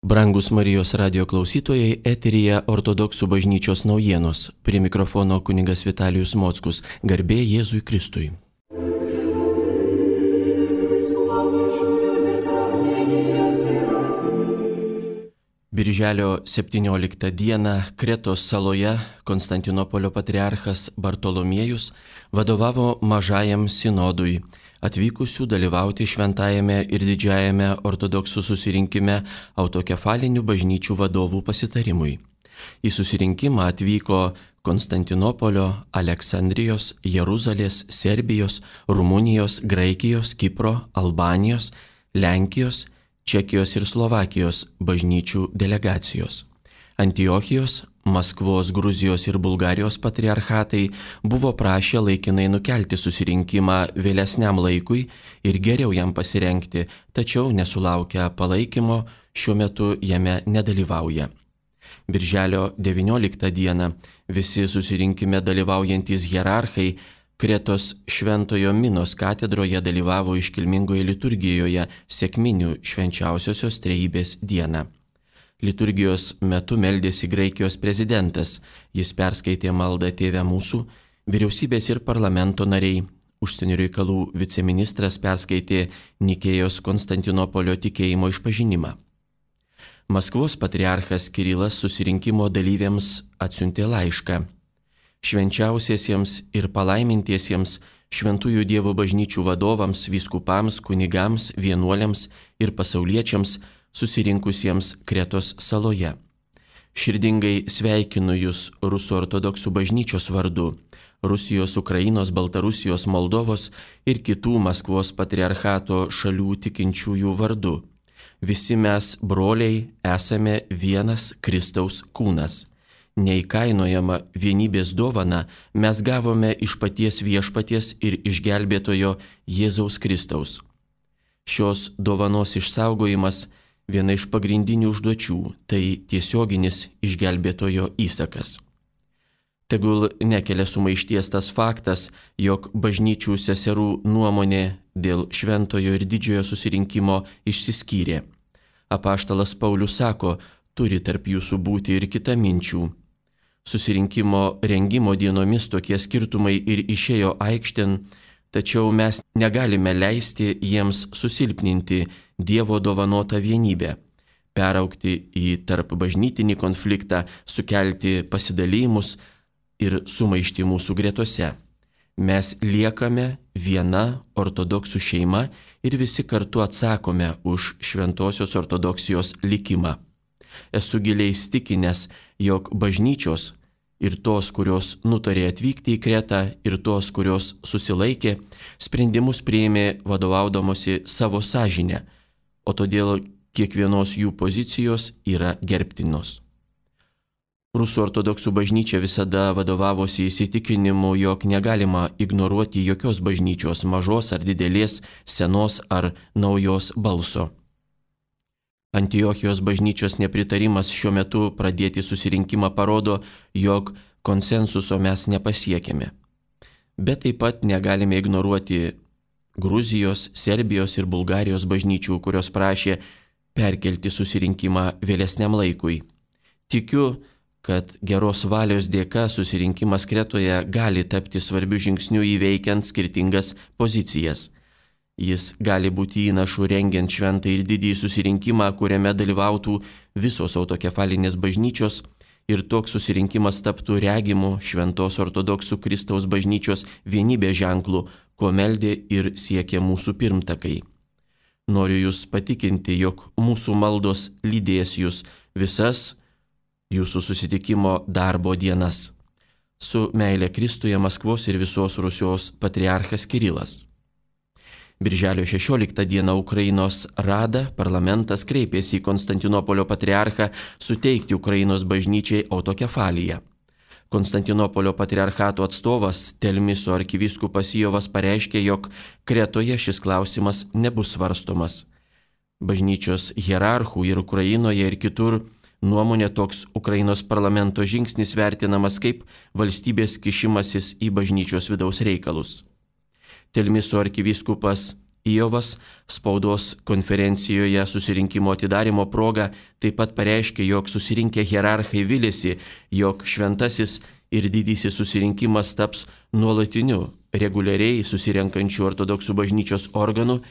Brangus Marijos radio klausytojai, eteryje Ortodoksų bažnyčios naujienos. Prie mikrofono kunigas Vitalijus Mockus. Garbė Jėzui Kristui. Birželio 17 dieną Kretos saloje Konstantinopolio patriarchas Bartolomiejus vadovavo mažajam sinodui, atvykusių dalyvauti šventajame ir didžiajame ortodoksų susirinkime autokefalinių bažnyčių vadovų pasitarimui. Į susirinkimą atvyko Konstantinopolio, Aleksandrijos, Jeruzalės, Serbijos, Rumunijos, Graikijos, Kipro, Albanijos, Lenkijos, Čekijos ir Slovakijos bažnyčių delegacijos. Antiochijos, Maskvos, Gruzijos ir Bulgarijos patriarchatai buvo prašę laikinai nukelti susirinkimą vėlesniam laikui ir geriau jam pasirengti, tačiau nesulaukę palaikymo šiuo metu jame nedalyvauja. Birželio 19 dieną visi susirinkime dalyvaujantys hierarchai Kretos Šventojo Minos katedroje dalyvavo iškilmingoje liturgijoje sekminių švenčiausiosios trejybės dieną. Liturgijos metu meldėsi Graikijos prezidentas, jis perskaitė maldą Tėve mūsų, vyriausybės ir parlamento nariai, užsienio reikalų viceministras perskaitė Nikėjos Konstantinopolio tikėjimo išpažinimą. Maskvos patriarchas Kirilas susirinkimo dalyviams atsiuntė laišką. Švenčiausiesiems ir palaimintiesiems šventųjų Dievo bažnyčių vadovams, vyskupams, kunigams, vienuoliams ir pasauliečiams susirinkusiems Kretos saloje. Širdingai sveikinu Jūs Rusų ortodoksų bažnyčios vardu, Rusijos, Ukrainos, Baltarusijos, Moldovos ir kitų Maskvos patriarchato šalių tikinčiųjų vardu. Visi mes, broliai, esame vienas Kristaus kūnas. Neįkainojama vienybės dovana mes gavome iš paties Viešpaties ir išgelbėtojo Jėzaus Kristaus. Šios dovanos išsaugojimas viena iš pagrindinių užduočių, tai tiesioginis išgelbėtojo įsakas. Tegul nekelia sumaišties tas faktas, jog bažnyčių seserų nuomonė dėl šventojo ir didžiojo susirinkimo išsiskyrė. Apaštalas Paulius sako, turi tarp jūsų būti ir kita minčių. Susirinkimo rengimo dienomis tokie skirtumai ir išėjo aikštėn, tačiau mes negalime leisti jiems susilpninti Dievo dovanotą vienybę, peraugti į tarp bažnytinį konfliktą, sukelti pasidalymus ir sumaištį mūsų gretose. Mes liekame viena ortodoksų šeima ir visi kartu atsakome už šventosios ortodoksijos likimą. Esu giliai įsitikinęs, jog bažnyčios ir tos, kurios nutarė atvykti į Kretą, ir tos, kurios susilaikė, sprendimus priėmė vadovaudamosi savo sąžinę, o todėl kiekvienos jų pozicijos yra gerbtinos. Rusų ortodoksų bažnyčia visada vadovavosi įsitikinimu, jog negalima ignoruoti jokios bažnyčios, mažos ar didelės, senos ar naujos balso. Antiochijos bažnyčios nepritarimas šiuo metu pradėti susirinkimą parodo, jog konsensuso mes nepasiekėme. Bet taip pat negalime ignoruoti Gruzijos, Serbijos ir Bulgarijos bažnyčių, kurios prašė perkelti susirinkimą vėlesniam laikui. Tikiu, kad geros valios dėka susirinkimas Kretoje gali tapti svarbiu žingsniu įveikiant skirtingas pozicijas. Jis gali būti įnašu rengiant šventą ir didįjį susirinkimą, kuriame dalyvautų visos autokefalinės bažnyčios ir toks susirinkimas taptų regimu šventos ortodoksų Kristaus bažnyčios vienybės ženklu, ko meldė ir siekė mūsų pirmtakai. Noriu Jūs patikinti, jog mūsų maldos lydės Jūs visas Jūsų susitikimo darbo dienas. Su meile Kristuje Maskvos ir visos Rusijos patriarchas Kirilas. Birželio 16 dieną Ukrainos Rada parlamentas kreipėsi į Konstantinopolio patriarchą suteikti Ukrainos bažnyčiai autokefaliją. Konstantinopolio patriarchato atstovas Telmiso arkivyskupas Jovas pareiškė, jog Kretoje šis klausimas nebus svarstomas. Bažnyčios hierarchų ir Ukrainoje ir kitur nuomonė toks Ukrainos parlamento žingsnis vertinamas kaip valstybės kišimasis į bažnyčios vidaus reikalus. Telmiso arkivyskupas Ijovas spaudos konferencijoje susirinkimo atidarimo proga taip pat pareiškė, jog susirinkę hierarchai vilėsi, jog šventasis ir didysis susirinkimas taps nuolatiniu, reguliariai susirenkančių ortodoksų bažnyčios organų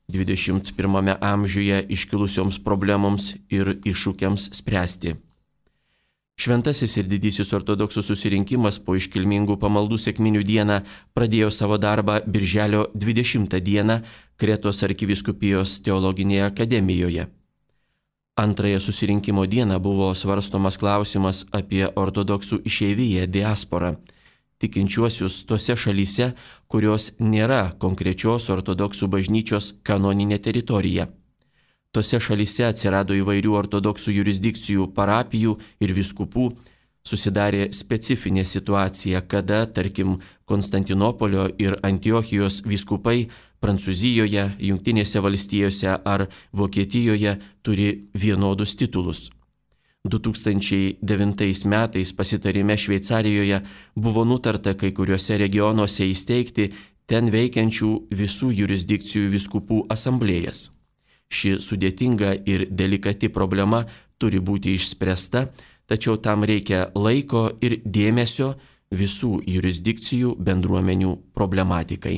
21 amžiuje iškilusioms problemoms ir iššūkiams spręsti. Šventasis ir didysis ortodoksų susirinkimas po iškilmingų pamaldų sekminių dieną pradėjo savo darbą birželio 20 dieną Kretos arkivyskupijos teologinėje akademijoje. Antrąją susirinkimo dieną buvo svarstomas klausimas apie ortodoksų išeiviją diasporą, tikinčiuosius tose šalyse, kurios nėra konkrečios ortodoksų bažnyčios kanoninė teritorija. Tose šalyse atsirado įvairių ortodoksų jurisdikcijų, parapijų ir vyskupų, susidarė specifinė situacija, kada, tarkim, Konstantinopolio ir Antiochijos vyskupai Prancūzijoje, Jungtinėse valstijose ar Vokietijoje turi vienodus titulus. 2009 metais pasitarime Šveicarijoje buvo nutarta kai kuriuose regionuose įsteigti ten veikiančių visų jurisdikcijų vyskupų asamblėjas. Ši sudėtinga ir delikati problema turi būti išspręsta, tačiau tam reikia laiko ir dėmesio visų jurisdikcijų bendruomenių problematikai.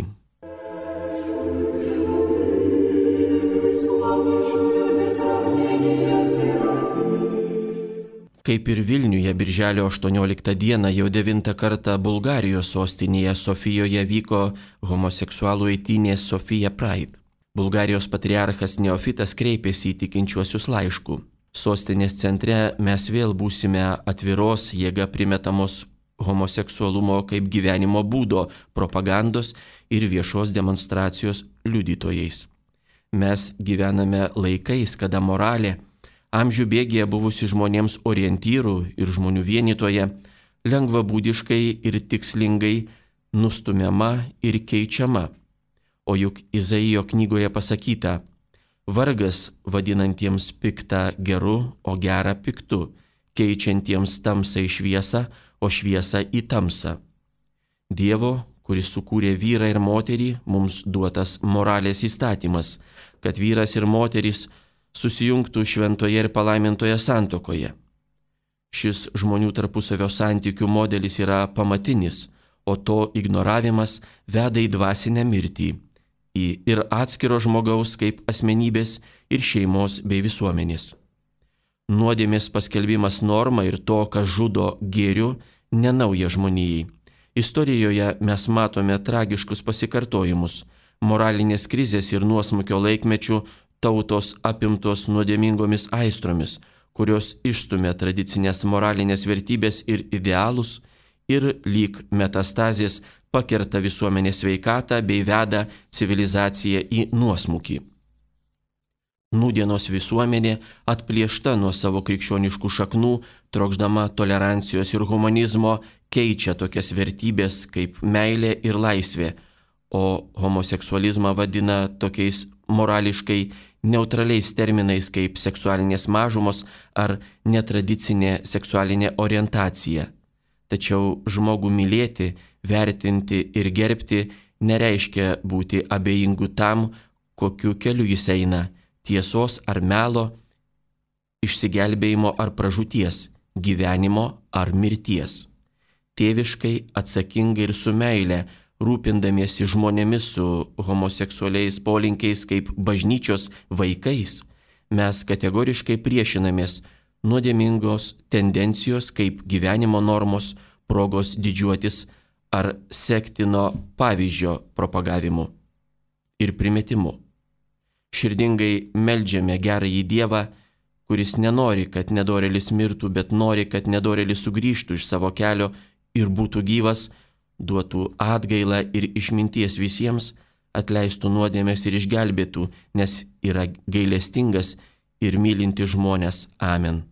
Kaip ir Vilniuje birželio 18 dieną jau 9 kartą Bulgarijos sostinėje Sofijoje vyko homoseksualų eitynės Sofija Pride. Bulgarijos patriarchas Neofitas kreipėsi į tikinčiuosius laišku. Sostinės centre mes vėl būsime atviros jėga primetamos homoseksualumo kaip gyvenimo būdo, propagandos ir viešos demonstracijos liudytojais. Mes gyvename laikais, kada moralė, amžių bėgyje buvusi žmonėms orientyrų ir žmonių vienytoje, lengvabūdiškai ir tikslingai nustumiama ir keičiama. O juk Izaijo knygoje pasakyta, vargas vadinantiems piktą geru, o gerą piktu, keičiantiems tamsą į šviesą, o šviesą į tamsą. Dievo, kuris sukūrė vyrą ir moterį, mums duotas moralės įstatymas, kad vyras ir moteris susijungtų šventoje ir palaimintoje santuokoje. Šis žmonių tarpusavio santykių modelis yra pamatinis, o to ignoravimas veda į dvasinę mirtį, į ir atskiro žmogaus kaip asmenybės ir šeimos bei visuomenės. Nuodėmės paskelbimas norma ir to, kas žudo gėriu, nenauja žmonijai. Istorijoje mes matome tragiškus pasikartojimus. Moralinės krizės ir nuosmukio laikmečių tautos apimtos nuodėmingomis aistromis, kurios išstumia tradicinės moralinės vertybės ir idealus ir lyg metastazės pakerta visuomenės sveikatą bei veda civilizaciją į nuosmukį. Nūdienos visuomenė atplėšta nuo savo krikščioniškų šaknų, trokšdama tolerancijos ir humanizmo, keičia tokias vertybės kaip meilė ir laisvė, o homoseksualizmą vadina tokiais morališkai neutraliais terminais kaip seksualinės mažumos ar netradicinė seksualinė orientacija. Tačiau žmogų mylėti, vertinti ir gerbti nereiškia būti abejingu tam, kokiu keliu jis eina - tiesos ar melo, išsigelbėjimo ar pražūties, gyvenimo ar mirties. Tėviškai, atsakingai ir su meile, rūpindamiesi žmonėmis su homoseksualiais polinkiais kaip bažnyčios vaikais, mes kategoriškai priešinamės nuodėmingos tendencijos kaip gyvenimo normos, progos didžiuotis ar sektino pavyzdžio propagavimu ir primetimu. Širdingai meldžiame gerąjį Dievą, kuris nenori, kad nedorėlis mirtų, bet nori, kad nedorėlis sugrįžtų iš savo kelio ir būtų gyvas, duotų atgailą ir išminties visiems, atleistų nuodėmės ir išgelbėtų, nes yra gailestingas ir mylintis žmonės. Amen.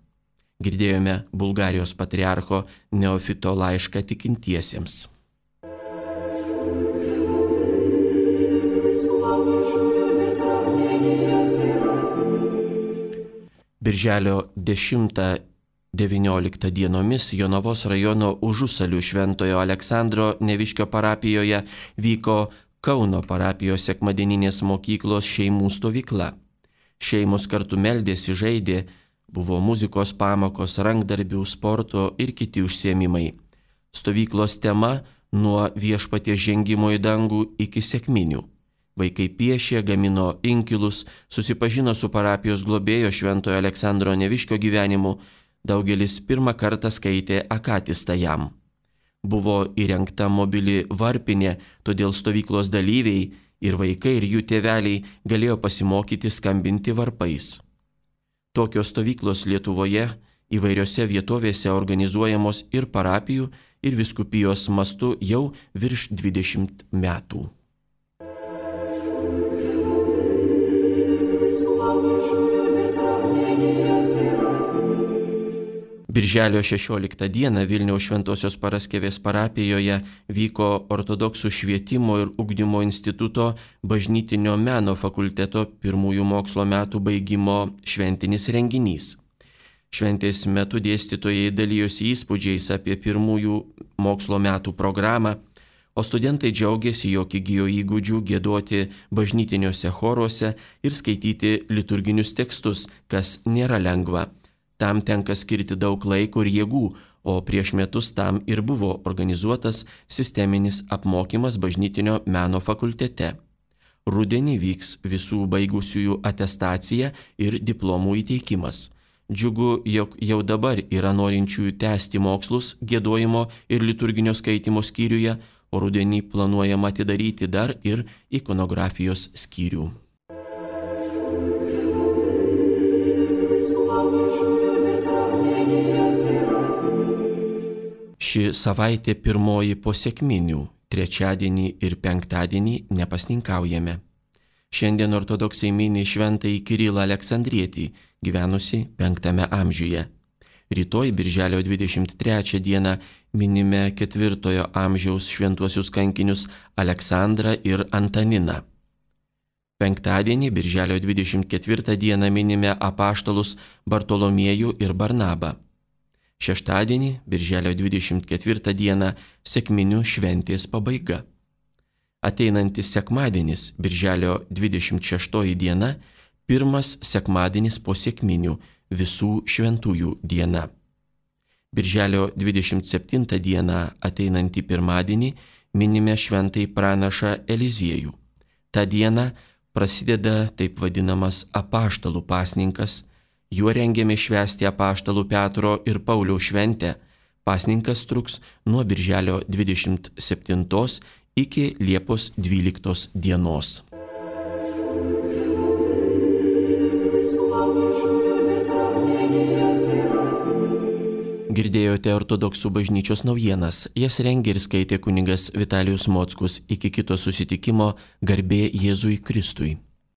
Girdėjome Bulgarijos patriarcho Neofito laišką tikintiesiems. Birželio 10-19 dienomis Jonavos rajono Užusalių Šventojo Aleksandro Neviškio parapijoje vyko Kauno parapijos sekmadieninės mokyklos šeimų stovykla. Šeimos kartu meldėsi, žaidė, buvo muzikos pamokos, rankdarbių, sporto ir kiti užsiėmimai. Stovyklos tema – nuo viešpaties žengimo į dangų iki sekminių. Vaikai piešė, gamino inkilus, susipažino su parapijos globėjo šventojo Aleksandro Neviškio gyvenimu, daugelis pirmą kartą skaitė akatistą jam. Buvo įrengta mobili varpinė, todėl stovyklos dalyviai ir vaikai ir jų tėveliai galėjo pasimokyti skambinti varpais. Tokios stovyklos Lietuvoje įvairiose vietovėse organizuojamos ir parapijų, ir vyskupijos mastu jau virš 20 metų. Birželio 16 dieną Vilniaus Šventosios Paraskevės parapijoje vyko Ortodoksų švietimo ir ugdymo instituto bažnytinio meno fakulteto pirmųjų mokslo metų baigimo šventinis renginys. Šventės metu dėstytojai dalijosi įspūdžiais apie pirmųjų mokslo metų programą, o studentai džiaugiasi, jog įgijo įgūdžių giedoti bažnytiniuose choruose ir skaityti liturginius tekstus, kas nėra lengva. Tam tenka skirti daug laiko ir jėgų, o prieš metus tam ir buvo organizuotas sisteminis apmokymas bažnytinio meno fakultete. Rudenį vyks visų baigusiųjų atestacija ir diplomų įteikimas. Džiugu, jog jau dabar yra norinčiųjų tęsti mokslus giedojimo ir liturginio skaitimo skyriuje, o rudenį planuojama atidaryti dar ir ikonografijos skyrių. Ši savaitė pirmoji po sekminių, trečiadienį ir penktadienį nepasninkaujame. Šiandien ortodoksai mini šventąjį Kirilą Aleksandrietį, gyvenusi 5 amžiuje. Rytoj, birželio 23 dieną, minime 4 amžiaus šventuosius kankinius Aleksandrą ir Antaniną. Penktadienį, birželio 24 dieną, minime apaštalus Bartolomiejų ir Barnabą. Šeštadienį, birželio 24 dieną, sekminių šventės pabaiga. Ateinantis sekmadienis, birželio 26 diena, pirmas sekmadienis po sekminių, visų šventųjų diena. Birželio 27 dieną, ateinantį pirmadienį, minime šventąjį pranašą Eliziejų. Ta diena prasideda taip vadinamas apaštalų pasninkas. Juo rengiame švęsti apaštalų Petro ir Pauliaus šventę. Pasninkas truks nuo birželio 27 iki Liepos 12 dienos. Girdėjote Ortodoksų bažnyčios naujienas. Jas rengė ir skaitė kunigas Vitalijus Mockus. Iki kito susitikimo, garbė Jėzui Kristui.